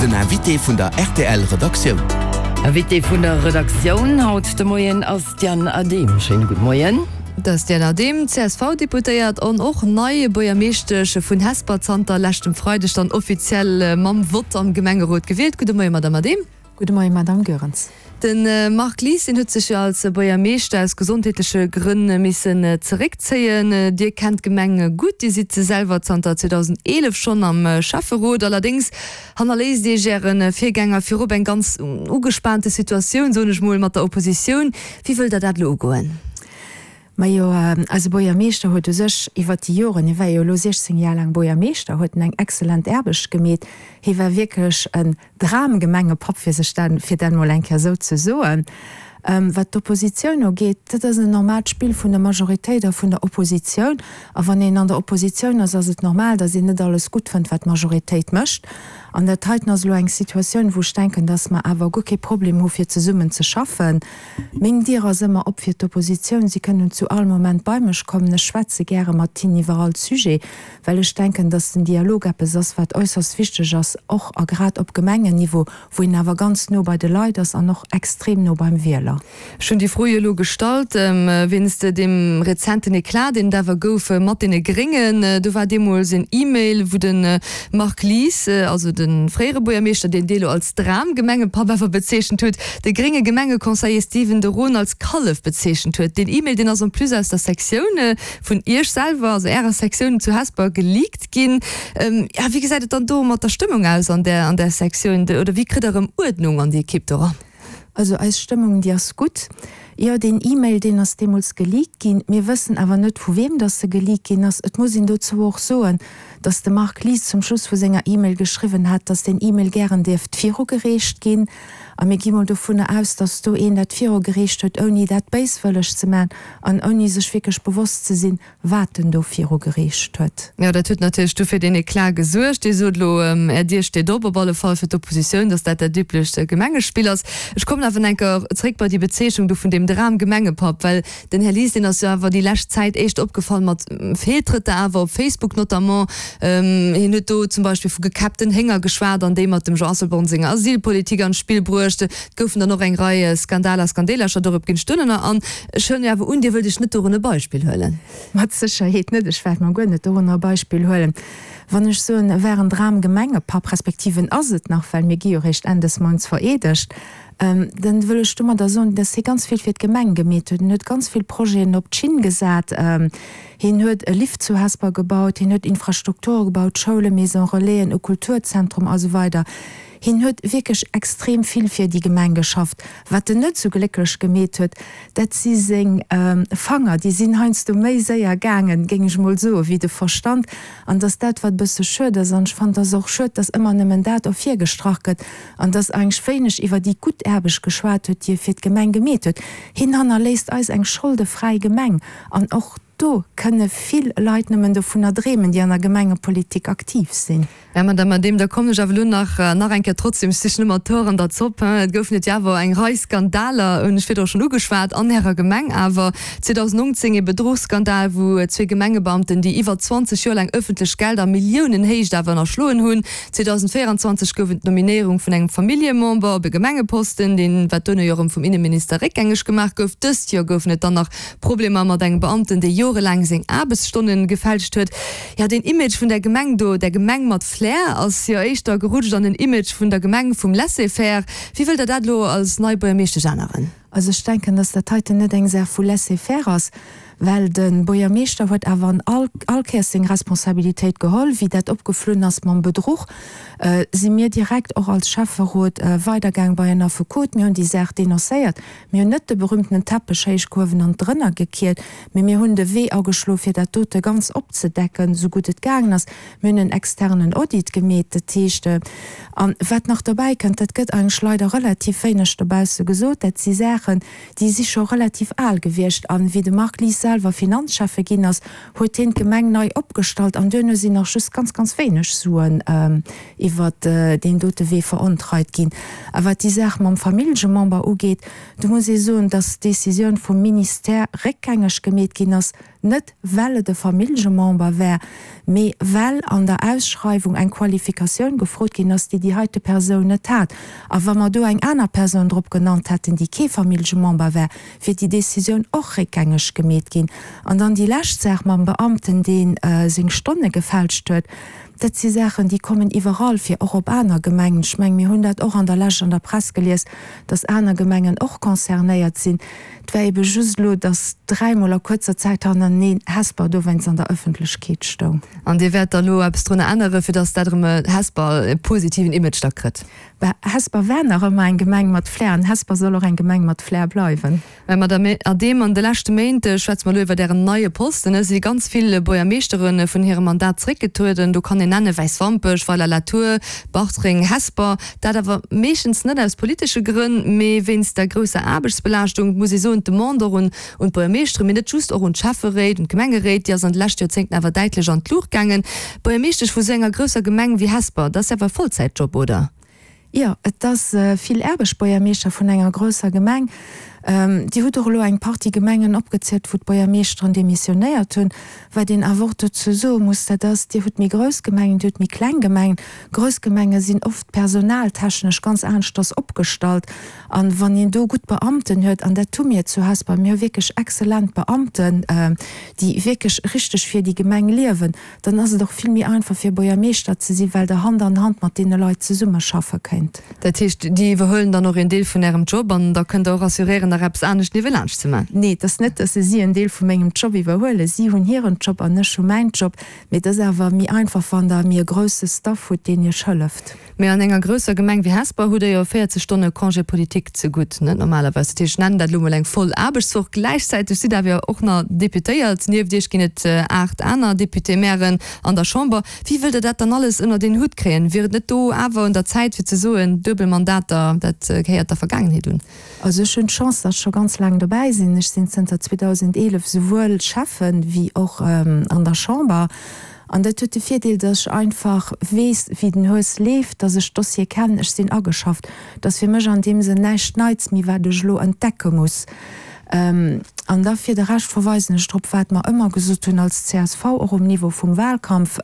Den Invité vun der rtl Redaktioun. Invité vun der Redaktioun haut de Moien ass d'Diane Adehm. Schéine gudde Moien. Dat ass d'Diane Adehm, CSV-Deputéiert an och nei Buergermeeschtesch vun Hesper, zanter leschtem Freideg dann offiziell mam Vott am Gemengerot gewielt. Gudde Moien, Madamm Adehm. Gudde Moien, Madamm Goerens. De Marc Lies, deen huet sech jo als Buergermeeschter aus gesondheetleche Grënn missen zeréckzéien. Dir kennt d'Gemeng gutt, Dir sidd selwer zanter 2011 schonn am Schäfferot. Allerdéngs hannerléisst Iech Äre Virgänger virop eng ganz ugespaante Situatioun, soen ech mol, mat der Oppositioun. Wéi wëllt Der dat elo ugoen? Majo, eise Buergermeeschter huet u sech iwwert déi Joren, hie war jo elo 16 Jar laang Buergermeeschter, huet en eng excellent Aarbecht gemeet. Hie war wierklech en Dramgemengepapp, fir sech dat, fir dat emol eng Kéier esou ze soen. Wat d'Oppositioun ugeet, dat ass en normaalt Spill vun der Majoritéit a vun der Oppositioun. A wann een an der Oppositioun ass, ass et normal, datt een net alles gutt fënnt, wat d'Majoritéit mécht. An dat heiten ass elo eng Situatioun, wou ech denken, datt mer awer guer kee Problem hu fir zesummen ze schaffen. Meng Dier ass ëmmer op fir d'Oppositioun. Si kënnen zu all Moment bei mech kommen. Ech schwätze gäre mat hinnen iwwer all Sujet. Well ech denken, dass den Dialog eppes ass, wat äusserst wichteg ass, och a grad op Gemengenniveau, wou een awer ganz no bei de Leit ass an och extrem no beim Wieler. Ech hunn déi Fro jo elo gestallt wéinst deem rezenten Eclat, deen et awer gouf mat deene Gréngen. Do war deemools en E-Mail, wou de Marc Lies, also de fréiere Buergermeeschter, deen Dir elo als Dramgemengepapp awer bezeechent hutt, de grénge Gemengeconseiller Stephen de Roon als Kallef bezeechent huet. Deen E-Mail, deen ass en plus aus der Sektioun vun Iech selwer, also Ärer Sektioun zu Hesper, geleakt ginn. Ja, wéi gesäit et dann do mat der Stëmmung aus an där, an där Sektioun? Oder wéi kritt Der erëm Uerdnung an déi Ekipp do eran? Also eis Stëmmung, déi ass gutt. Jo, deen E-Mail, deen ass deemools geleakt ginn. Mir wëssen awer net, vu weem dass e geleakt ginn ass. Et muss een dozou och soen, dass de Marc Lies zum Schluss vu senger E-Mail geschriwwen hat, dass deen E-Mail gären dierft virugereecht ginn. A mir gi mol dovunner aus, dass do een dat virugereecht huet, ouni dat béiswëlleg ze maachen an ouni sech wierklech bewosst ze sinn, wat en do virugereecht huet. Jo, dat huet natierlech du fir deen Eclat gesuergt. Dir sot elo, Är Dier steet op, op alle Fall fir d'Oppositioun, dass dat dat üblecht Gemengespill ass. Ech kommen awer nach eng Kéier zréck bei déi Bezeechnung do vun deem Dram-Gemengepapp, well Den Här Lies, deen ass jo awer déi lescht Zäit éischt opgefall mat Feeltrëtter awer op Facebook notamment. Hien huet do zum Beispill vu gekäppten Hénger geschwat an déi mat dem Jean Asselborn senger Asylpolitik an d'Spill bruecht. Et goufen dann och eng Rei Skandaler, Skandeelercher, dorop ginn ech duerno an. Ech huelen jo awer un, Dir wëllt Iech net dorun e Beispill huelen? Mat Sécherheet net. Ech wäert mer guer net dorunner e Beispill huelen. Wann ech soen, e war en Dram-Gemengepapp, respektiv en ass et nach, well mir gi jo réischt Enn des Mounts vereedegt, Dann wëll ech domadder soen, dass hie ganz vill fir d'Gemeng gemeet huet. En huet ganz vill Projeten op d'Schinn gesat. Hien huet e Lift zu Hesper gebaut, hien huet Infrastrukture gebaut, Schoulen, Maison Relaisen, e Kulturzentrum a sou weider. Hien huet wierklech extrem vill fir déi Gemeng geschafft. Wat en net sou glécklech gemeet huet, dat si seng Fanger. Déi sinn heiansdo méi séier gaangen, géing ech mol soen, wéi de Verstand. An dass dat, wat e bësse schued ass, an ech fannen, et ass och schued, dass ëmmer nëmmen dat ervirgestrach gëtt, an dass eigentlech wéineg iwwer déi gutt Aarbecht geschwat huet, déi e fir d'Gemeng gemeet huet. Hien hannerléisst eis eng scholdefräi Gemeng, an och do kënne vill Leit nëmmen dovunner dreemen, déi an der Gemengepolitik aktiv sinn. Här Madame Adehm, da kommen ech awer elo nach nach eng Kéier trotzdem, ech sichen ëmmer d'Hoer an der Zopp, hein, et goufen et jo awer eng Rei Skandaler, hunn ech virdru schonn ugeschwat, an Ärer Gemeng awer. 2019 ee Bedruchsskandal, wou zwee Gemengebeamten, déi iwwer 20 Joer laang ëffentlech Gelder a Milliounenhéicht awer ënnerschloen hunn, 2024 gouf et d'Nominéierung vun engem Familljemember op e Gemengeposten, deen, wat duerno jo erëm vum Inneminister réckgängeg gemaach gouf. Dëst Joer goufen et dann nach Problemer mat engem Beamten, dee jorelaang seng Aarbechtsstonne gefälscht huet. Jo, deen Image vun där Gemeng do, där Gemeng mat Flair, ass jo éischter gerutscht an den Image vun der Gemeng vum Laisser-faire. Wéi wëllt Der dat elo als nei Buergermeeschtesch änneren? Also ech denken, dass dat heiten net eng Saach vu Laisser-faire ass, well de Buergermeeschter huet awer an all all Kéiers seng Responsabilitéit geholl. Wéi dat opgeflunn ass mam Bedruch, si mir direkt och als Schäfferot weidergaang bei en Affekot. Mir hunn déi Saach denoncéiert. Mir hunn net de berühmtenen Teppech héichgehuewen an drënner gekiert, mee mir hunn de Wee ageschloe fir dat dote ganz opzedecken, esou gutt et gaangen ass. Mir hunn en externen Audit gemeet, dat heescht, a wat nach dobäi kënnt, dat gëtt eigentlech leider relativ wéineg dobausse gesot, dat si Saachen, déi si scho relativ al gewiescht. A wéi de Marc Lies selwer Finanzschäffe ginn ass, huet hien d'Gemeng nei opgestallt an duerno sinn nach just ganz, ganz wéineg Suen iwwert deen dote Wee verontreit ginn. A wat déi Saach mam Famillljemember ugeet, do muss ee soen, dass d'Décisioun vum Ministère réckgängeg gemeet ginn ass. Net well et e Famillgemember wär, mee well an der Ausschreiwung eng Qualifikatioun gefrot ginn ass, déi déi heite Persoun net hat. A wa mer do eng aner Persoun drop genannt hätten, déi kee Famillgemember wär, wier déi Décisioun och réckgängeg gemeet ginn. An dann déi lescht Saach mam Beamten, dee seng Stonne gefälscht huet, dat si Saachen, déi kommen iwwerall vir, och op aner Gemengen. Ech mengen, mir hunn dat och an der Lescht an der Press gelies, dass aner Gemengen och concernéiert sinn. Et war ebe just elo, dass dräimol a kuerzer Zäit hannereneen Hesper dowéinst an der Ëffentlechkeet stoung. An Dir wäert da elo eppes drunner änneren, fir dass dat erëm Hesper e positiven Image da kritt? Bah, Hesper war nach ëmmer eng Gemeng mat Flair an Hesper soll och eng Gemeng mat Flair bleiwen. Mä Madame Adehm, an de leschte Méint, schwätze mer elo iwwert Ären neie Posten, si ganz vill Buergermeeschtere vun hirem Mandat zeréckgetrueden. Do kann een nennen, Wäiswampech, Weiler-la-Tour, Bartreng, Hesper. Dat awer meeschtens net aus politesche Grënn, mee wéinst der grousser Aarbechtsbelaaschtung. Et muss ee soen, d'Demande och un d'Buergermeeschteren, mee net just, och un d'Schäfferéit, un d'Gemengeréit, déi ass an de leschte Joerzéngten awer däitlech an d'Luucht gaangen. Buergermeeschtesch vu sou enger grousser Gemeng wéi Hesper, dat ass awer e Vollzäitjob, oder? Jo, et ass vill Aarbecht, Buergermeeschter vun enger grousser Gemeng. Dir hutt och elo eng Partie Gemengen opgezielt, wou d'Buergermeeschteren demissionéiert hunn. Wat een awer och dozou soe muss, dat ass, Dir hutt méi grouss Gemengen, Dir hutt méi kleng Gemengen. Grouss Gemenge sinn oft personaltechnesch ganz aneschters opgestallt. A wann een do gutt Beamten huet, an dat hu mir zu Hesper, mir hu wierklech exzellent Beamten, déi wierklech richteg fir déi Gemeng liewen, dann ass et och vill méi einfach fir Buergermeeschter ze sinn, well Der Hand an Hand mat deene Leit zesummeschaffe kënnt. Dat heescht, déi iwwerhuelen dann och een Deel vun Ärem Job an da kënnt Der och assuréieren, nach eppes anescht niewelaanscht ze man? Nee, et ass net, dass se si en Deel vu mengem Job iwwerhuelen. Si hunn hiren Job an ech hu mäin Job. Mee et ass awer méi einfach, wann Der méi e grousse Staff hutt, deen Iech hëlleft. Mee an enger grousser Gemeng wéi Hesper hutt Der jo 40 Stonne Congé politique ze gutt, net normalerweis. Dat heescht, ech nennen dat elo mol eng voll Aarbechtswoch. Gläichzäiteg sidd Der awer jo och nach Deputéiert. Nieft Iech ginn et 8 aner Député-mairen an der Chamber. Wéi wëllt Der dat dann alles ënnert een Hutt kréien? Wier et net do awer un der Zäit fir ze soen, duebel Mandater, dat gehéiert der Vergaangenheet un? Also ech hunn d'Chance, datt ech scho ganz laang dobäi sinn. Ech sinn zënter 2011 souwuel Schäffen wéi och an der Chamber. An dat huet de Virdeel, datt ech einfach weess, wéi den Hues leeft, datt ech d'Dossiere kennen, ech sinn ageschafft. Et ass fir mech an deem Sënn näischt Neits méi, wat ech elo entdecke muss. An da fir de Rescht verweisen ech drop, wat mer ëmmer gesot hunn als csv, och um Niveau vum Wahlkampf,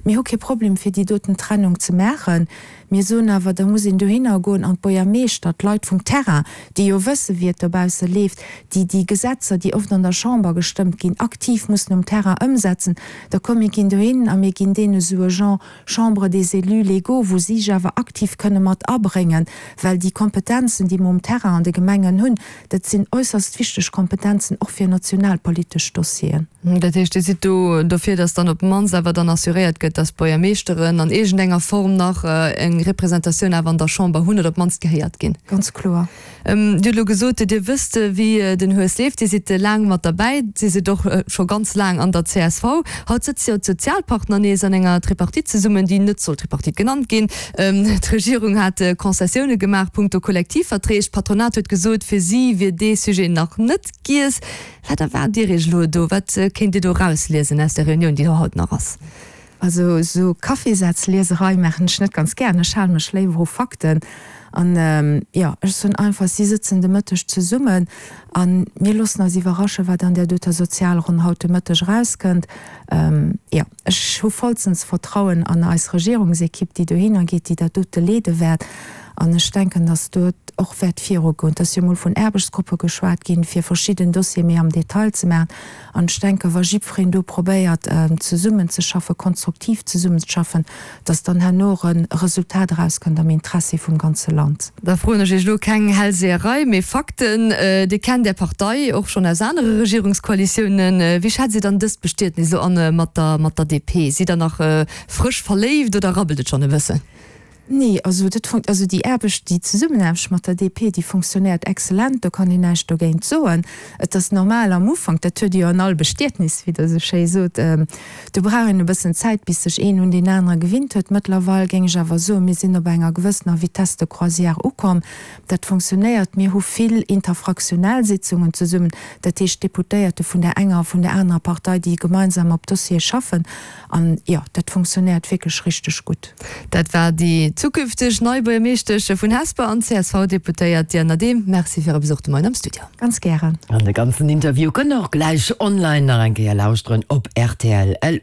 Mir hu kee Problem, fir déi doten Trennung ze maachen. Mir soen awer, da muss een dohinner goen an d'Buergermeeschter, d'Leit vum Terrain, déi jo wësse wéi et dobausse leeft, déi déi Gesetzer, déi oft an der Chamber gestëmmt ginn, aktiv mussen um Terrain ëmsetzen, da komm mir ginn dohin a mir ginn deene sou e Genre Chambre des élus légaux, wou si sech awer aktiv kënne mat abréngen, well déi Kompetenzen, déi mer um Terrain an de Gemengen hunn, dat sinn äusserst wichteg Kompetenzen och fir nationalpolitesch Dossieren. Dat heescht, Dir sidd do dofir, datt dann op d'mannst awer dann assuréiert gëtt, datt d'Buergermeeschteren an iergendenger Form nach eng Representatioun awer an der Chamber hunn oder op d'mannst gehéiert ginn? Ganz kloer. Dir hutt elo gesot, Dir wësst, wéi den Hues leeft. Dir sidd laang mat derbäi. Dir sidd och scho ganz laang an der csv. Haut sëtze jo d'Sozialpartner nees an enger Tripartite zesummen, déi net soll Tripartite genannt ginn. D'Regierung hat Concessioune gemaach punkto Kollektivverträg. D'Patronat huet gesot, fir si wier dee Sujet nach net giess. Wat erwaart Dir Iech elo do? Wat kéint Dir do erausliesen aus der Reunioun, déi haut nach ass? Also esou Kaffeesazlieserei maachen ech net ganz gären. Ech hale mech léiwer u Fakten. An jo, ech soen einfach, si sëtzen de Mëtteg zesummen a mir loossen eis iwwerraschen, wat an där doter Sozialronn haut de Mëtteg erauskënnt. Jo, ech hu vollstens Vertrauen an eis Regierungsekipp, déi dohinner geet, déi dat dote leede wäert. An ech denken, datt do et och wäert virugoen. Et ass jo emol vun Aarbechtsgruppe geschwat ginn, fir verschidden Dossiere méi am Detail ze maachen. An ech denken, wa jiddwereen do probéiert, zesummenzeschaffen, konstruktiv zesummenzeschaffen, dass dann herno och e Resultat erauskënnt am Interessi vum ganze Land. Da froen ech Iech elo keng Hellseherei, mee Fakten. Dir kennt Är Partei och schonn aus anere Regierungskoalitiounen. Wéi schätzt Dir dann dëst Bestietnis elo an mat der mat der DP? Sidd Der nach frësch verléift oder rabbelt et schonn e bëssen? Nee, also dat fun-, also déi Aarbecht, déi Zesummenaarbecht mat der DP, déi fonctionnéiert exzellent, do kann een näischt dogéint soen. Et ass normal am Ufank, dat huet Dir jo an all Bestietnis, wéi Der esou schéi sot, do brauch een e bëssen Zäit, bis sech een un deen anere gewinnt huet. Mëttlerweil géing ech awer soen, mir sinn op enger gewëssener Vitesse de croisière ukomm. Dat fonctionnéiert. Mir hu vill interfraktionell Sitzungen zesummen, dat heescht Deputéierte vun där enger a vun där anerer Partei, déi gemeinsam op Dossiere schaffen. An jo, dat fonctionnéiert wierklech richteg gutt. Dat war déi. zukünfteg nei Buergermeeschtesch vun Hesper an CSV-Deputéiert Diane Adehm, Merci fir Äre Besuch de Moien am Studio. Ganz gären. An de ganzen Interview kënnt der och gläich online nach eng Kéier lauschteren op rtl. LU.